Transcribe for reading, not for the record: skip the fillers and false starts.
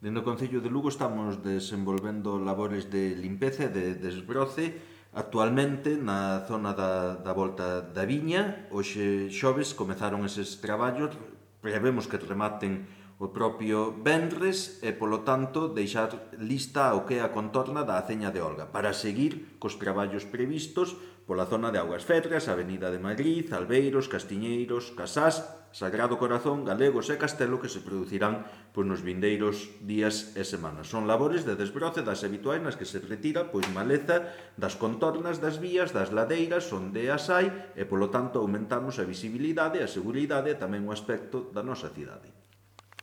Dentro do Concello de Lugo estamos desenvolvendo labores de limpeza e de desbroce actualmente na zona da volta da viña. Hoxe xoves comezaron eses traballos, prevemos que rematen o propio venres e, polo tanto, deixar lista o que é a contorna da Aceña de Olga para seguir cos traballos previstos pola zona de Augas Fetras, Avenida de Madrid, Albeiros, Castiñeiros, Casás, Sagrado Corazón, Galegos e Castelo, que se producirán nos vindeiros días e semanas. Son labores de desbroce das habituais nas que se retira maleza das contornas das vías, das ladeiras onde as hai, e polo tanto aumentamos a visibilidade, a seguridade e tamén o aspecto da nosa cidade.